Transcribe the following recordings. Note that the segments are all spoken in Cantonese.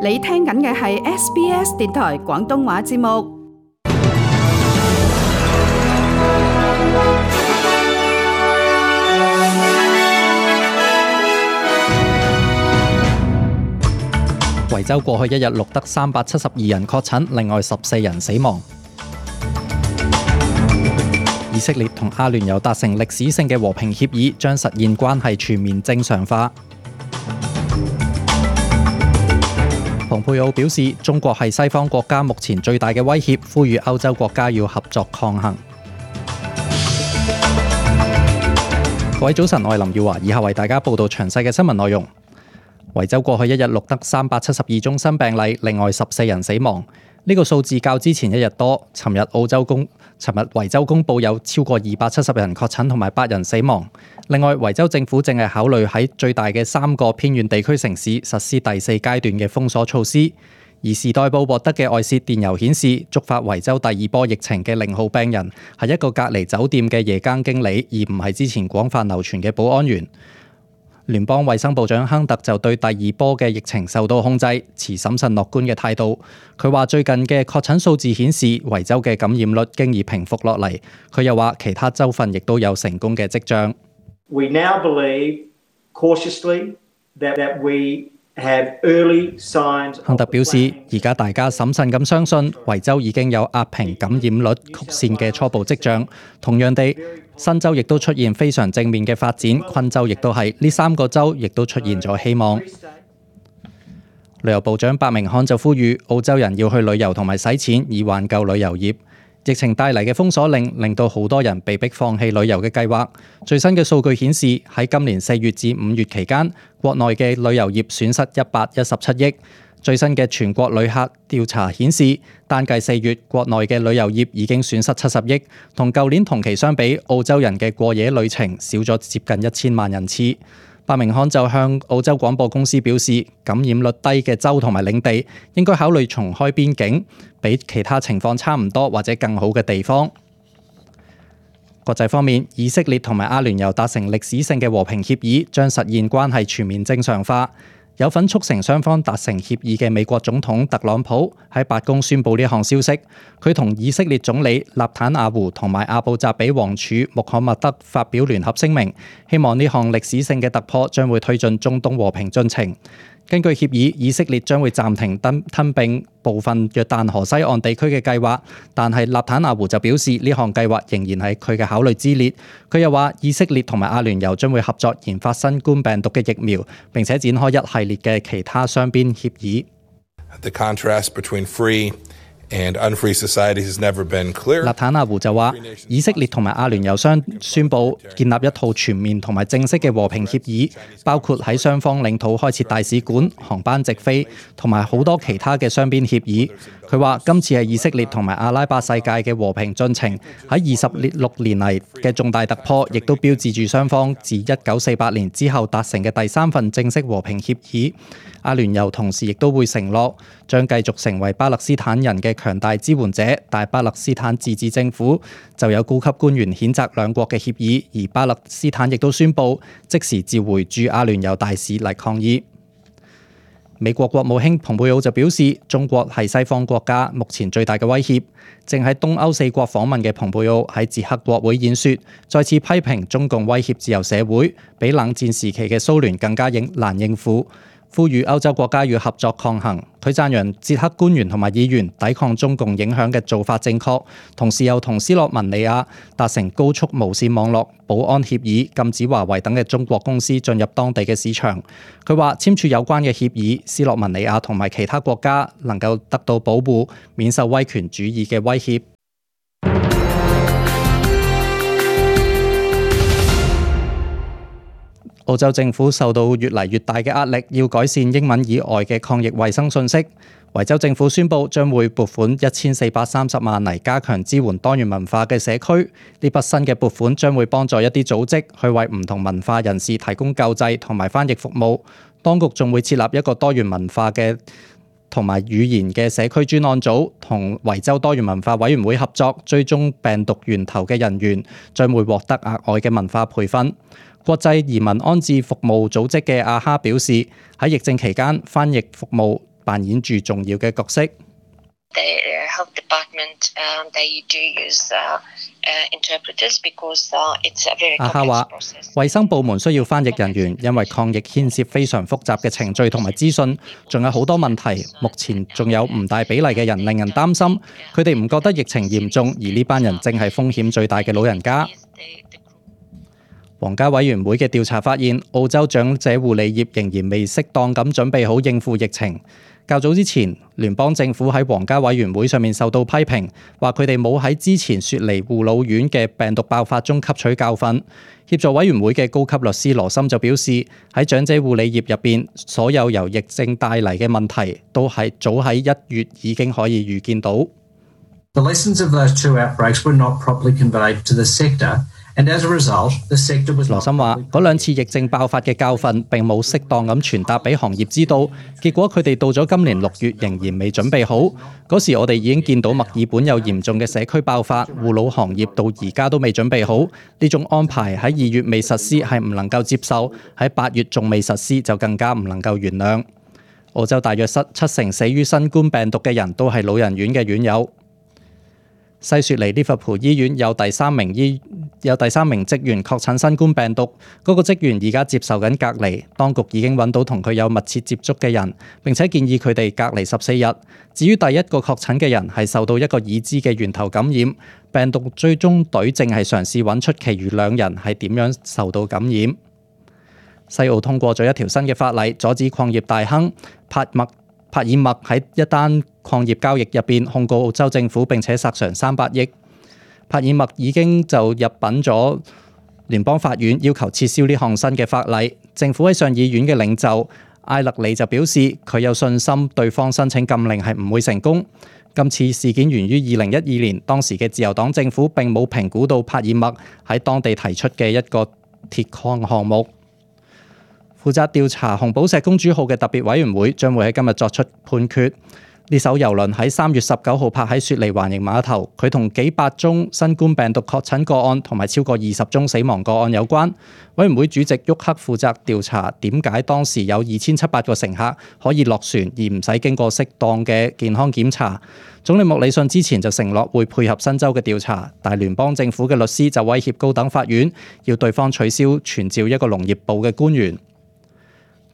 你聽緊嘅係 SBS 電台廣東話節目。維州過去一日錄得372人確診，另外14人死亡。以色列同阿聯酋達成歷史性嘅和平協議，將實現關係全面正常化。蓬佩奧表示，中國係西方國家目前最大嘅威脅，呼籲歐洲國家要合作抗衡。各位早晨，我係林耀華，以下為大家報道詳細嘅新聞內容。維州過去一日錄得372宗新病例，另外14人死亡。呢個數字較之前一日多。尋日維州公佈有超過270人確診同埋8人死亡。另外，維州政府正係考慮喺最大嘅3個偏遠地區城市實施第4階段嘅封鎖措施。而時代報獲得嘅外洩電郵顯示，觸發維州第2波疫情嘅0號病人係一個隔離酒店嘅夜間經理，而唔係之前廣泛流傳嘅保安員。聯邦衛生部長亨特就對第2波嘅疫情受到控制持審慎樂觀嘅態度。佢話最近嘅確診數字顯示維州嘅感染率經已平復落嚟。佢又話其他州份亦都有成功嘅跡象。We now believe cautiously that we have early signs。亨特表示，而家大家審慎咁相信維州已經有壓平感染率曲線嘅初步跡象。同樣地，新州亦都出現非常正面嘅發展，昆州亦都係，呢3個州亦都出現咗希望。旅遊部長伯明翰就呼籲澳洲人要去旅遊同埋使錢，以挽救旅遊業。疫情帶嚟嘅封鎖令令到好多人被迫放棄旅遊嘅計劃。最新嘅數據顯示，喺今年4月至5月期間，國內嘅旅遊業損失117億。最新嘅全國旅客調查顯示，單計4月，國內嘅旅遊業已經損失70億，同舊年同期相比，澳洲人嘅過夜旅程少咗接近1000萬人次。伯明翰就向澳洲廣播公司表示，感染率低嘅州同埋領地應該考慮重開邊境，比其他情況差唔多或者更好嘅地方。國際方面，以色列同埋阿聯酋達成歷史性嘅和平協議，將實現關係全面正常化。有份促成雙方達成協議嘅美國總統特朗普喺白宮宣布呢項消息。佢同以色列總理納坦雅胡同埋阿布扎比王儲穆罕默德發表聯合聲明，希望呢項歷史性嘅突破將會推進中東和平進程。根據協議，以色列將會暫停吞併部分約旦河西岸地區嘅計劃，但係納坦雅胡就表示呢項計劃仍然係佢嘅考慮之列。佢又話，以色列同埋阿聯酋將會合作研發新冠病毒嘅疫苗，並且展開一系列嘅其他雙邊協議。The contrast between free and unfree societies has never been clearer。納坦雅胡就話，以色列同埋阿聯酋宣布建立一套全面同埋正式嘅和平協議，包括喺雙方領土開設大使館、航班直飛同埋好多其他嘅雙邊協議。佢話今次係以色列同埋阿拉伯世界嘅和平進程喺26年嚟嘅重大突破，亦都標誌住雙方自1948年之後達成嘅第3份正式和平協議。阿聯酋同時亦都會承諾將繼續成為巴勒斯坦人嘅強大支援者，但巴勒斯坦自治政府就有高級官員譴責兩國嘅協議，而巴勒斯坦亦都宣布即時召回駐阿聯酋大使嚟抗議。美國國務卿蓬佩奧就表示，中國係西方國家目前最大嘅威脅。正喺東歐4國訪問嘅蓬佩奧喺捷克國會演說，再次批評中共威脅自由社會，比冷戰時期嘅蘇聯更加難應付，呼籲歐洲國家要合作抗衡。佢讚揚捷克官員同埋議員抵抗中共影響嘅做法正確，同時又同斯洛文尼亞達成高速無線網絡保安協議，禁止華為等嘅中國公司進入當地嘅市場。佢話簽署有關嘅協議，斯洛文尼亞同埋其他國家能夠得到保護，免受威權主義嘅威脅。澳洲政府受到越嚟越大嘅壓力，要改善英文以外嘅抗疫衛生信息。維州政府宣布將會撥款1430萬嚟加強支援多元文化嘅社區。呢筆新嘅撥款將會幫助一啲組織去為唔同文化人士提供救濟同埋翻譯服務。當局仲會設立一個多元文化嘅同埋語言嘅社區專案組，同維州多元文化委員會合作，追蹤病毒源頭嘅人員將會獲得額外嘅文化培訓。國際移民安置服務組織嘅阿哈表示，喺疫症期間，翻譯服務扮演住重要嘅角色。The health department, they do use interpreters because it's a very 阿哈 complex 話， process. 衛生部門需要翻譯人員，因為抗疫牽涉非常複雜嘅程序同埋資訊，仲有好多問題。目前仲有唔大比例嘅人令人擔心，佢哋唔覺得疫情嚴重，而呢班人正係風險最大嘅老人家。皇家委員會嘅調查發現，澳洲長者護理業仍然未適當咁準備好應付疫情。較早之前，聯邦政府喺皇家委員會上面受到批評，話佢哋冇喺之前雪梨護老院嘅病毒爆發中吸取教訓。協助委員會嘅高級律師羅森就表示，喺長者護理業入邊，所有由疫症帶嚟嘅問題，都係早喺1月已經可以預見到。The lessons of those two outbreaks were not properly conveyed to the sector. And as a result, the sector was 羅森話：嗰兩次疫症爆發嘅教訓並冇適當咁傳達俾行業知道，結果佢哋到咗今年6月仍然未準備好。嗰時我哋已經見到墨爾本有嚴重嘅社區爆發，護老行業到而家都未準備好。呢種安排喺2月未實施係唔能夠接受，喺8月仲未實施就更加唔能夠原諒。澳洲大約70%死於新冠病毒嘅人都係老人院嘅院友。西雪梨利物浦醫院有第三名職員確診新冠病毒，嗰個職員而家接受緊隔離。當局已經揾到同佢有密切接觸嘅人，並且建議佢哋隔離14日。至於第一個確診嘅人係受到一個已知嘅源頭感染，病毒追蹤隊正係嘗試揾出其餘2人係點樣受到感染。西澳通過咗一條新嘅法例，阻止礦業大亨帕爾默喺一單礦業交易入邊控告澳洲政府，並且索償300億。帕爾默已經就入稟咗聯邦法院，要求撤銷呢項新嘅法例。政府喺上議院嘅領袖艾勒里就表示，佢有信心對方申請禁令係唔會成功。今次事件源於2012年，當時嘅自由黨政府並冇評估到帕爾默喺當地提出嘅一個鐵礦項目。負責調查紅寶石公主號嘅特別委員會將會喺今日作出判決。呢艘郵輪喺3月19號泊喺雪梨環形碼頭，佢同幾百宗新冠病毒確診個案同埋超過20宗死亡個案有關。委員會主席沃克負責調查點解當時有2700個乘客可以落船而唔使經過適當嘅健康檢查。總理莫里遜之前就承諾會配合新州嘅調查，但聯邦政府嘅律師就威脅高等法院，要對方取消傳召一個農業部嘅官員。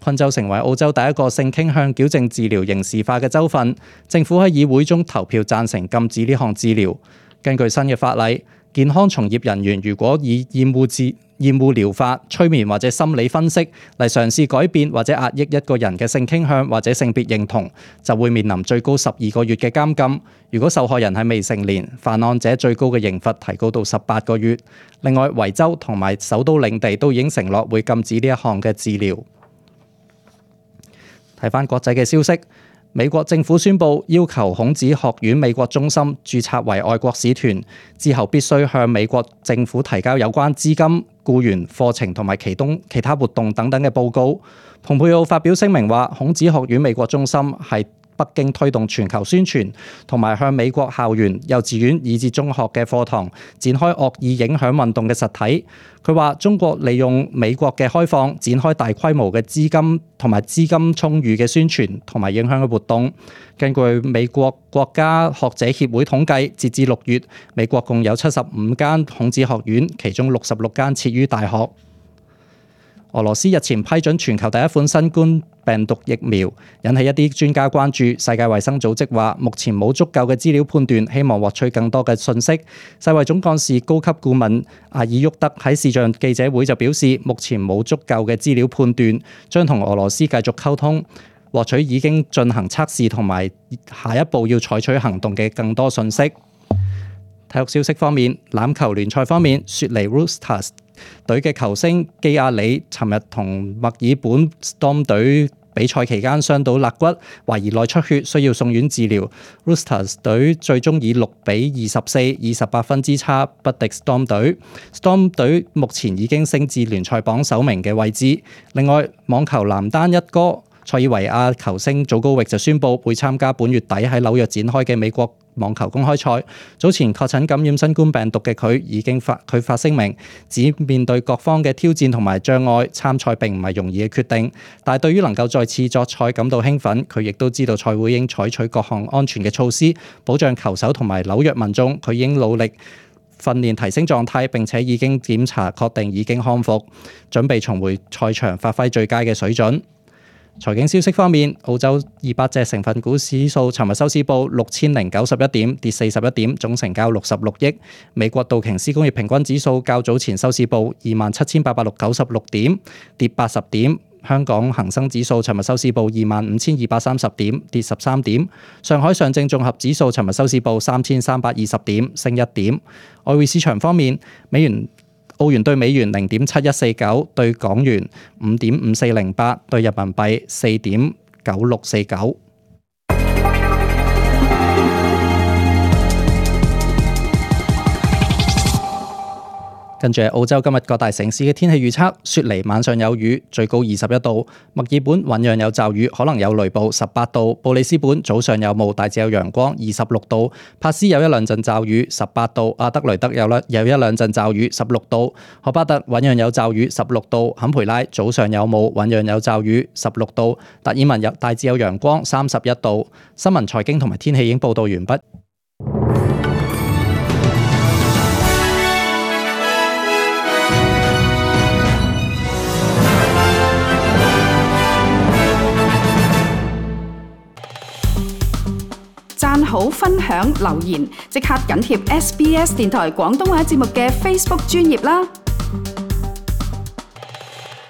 昆州成為澳洲第一個性傾向矯正治療刑事化嘅州份，政府喺議會中投票贊成禁止呢項治療。根據新嘅法例，健康從業人員如果以厭惡療法、催眠或者心理分析嚟嘗試改變或者壓抑一個人嘅性傾向或者性別認同，就會面臨最高12個月嘅監禁。如果受害人係未成年，犯案者最高嘅刑罰提高到18個月。另外，維州同埋首都領地都已經承諾會禁止呢一項嘅治療。睇返國際嘅消息，美國政府宣布要求孔子學院美國中心註冊為外國使團，之後必須向美國政府提交有關資金、僱員、課程同埋其他活動等等嘅報告。蓬佩奧發表聲明話，孔子學院美國中心係北京推動全球宣傳同埋向美國校園、幼稚園以至中學嘅課堂展開惡意影響運動嘅實體。佢話中國利用美國嘅開放展開大規模嘅資金同埋資金充裕嘅宣傳同埋影響嘅活動。根據美國國家學者協會統計，截至6月，美國共有75間孔子學院，其中66間設於大學。俄羅斯日前批准全球第一款新冠病毒疫苗，引起一啲專家關注。世界衛生組織話，目前冇足夠嘅資料判斷，希望獲取更多嘅信息。世衛總幹事高級顧問阿爾沃德喺視像記者會就表示，目前冇足夠嘅資料判斷，將同俄羅斯繼續溝通，獲取已經進行測試同埋下一步要採取行動嘅更多信息。體育消息方面，欖球聯賽方面，雪梨 Roosters 隊嘅球星基亞里尋日同墨爾本 Storm 隊比賽期間傷到肋骨，懷疑內出血，需要送院治療。Roosters 隊最終以6-24以18分之差不敵 Storm 隊。Storm 隊目前已經升至聯賽榜首名嘅位置。另外，網球男單一哥塞爾維亞球星祖高域就宣布會參加本月底喺紐約展開嘅美網球公開賽。早前確診感染新冠病毒嘅佢已經發聲明，指面對各方嘅挑戰同埋障礙，參賽並唔係容易嘅決定。但係對於能夠再次作賽感到興奮，佢亦都知道賽會應採取各項安全嘅措施，保障球手同埋紐約民眾。佢應努力訓練提升狀態，並且已經檢查確定已經康復，準備重回賽場發揮最佳嘅水準。財經消息方面，澳洲200隻成分股指數尋日收市報6091點，跌41點，總成交66億。美國道瓊斯工業平均指數較早前收市報27,896點，跌80點。香港恒生指數尋日收市報25,230點，跌13點。上海上證綜合指數尋日收市報3,320點，升1點。外匯市場方面，澳元對美元0.7149，對港元5.5408，對人民幣4.9649。跟住係澳洲今日各大城市嘅天氣預測：雪梨晚上有雨，最高21度；墨爾本醞釀有驟雨，可能有雷暴，18度；布里斯本早上有霧，大致有陽光，26度；帕斯有一兩陣驟雨，18度；阿德雷德有一兩陣驟雨，16度；荷巴特醞釀有驟雨，16度；坎培拉早上有霧，醞釀有驟雨，16度；達爾文大致有陽光，31度。新聞財經同埋天氣已經報道完畢。讚好、分享、留言，即刻緊貼SBS 電台廣東話節目嘅 Facebook 專頁啦！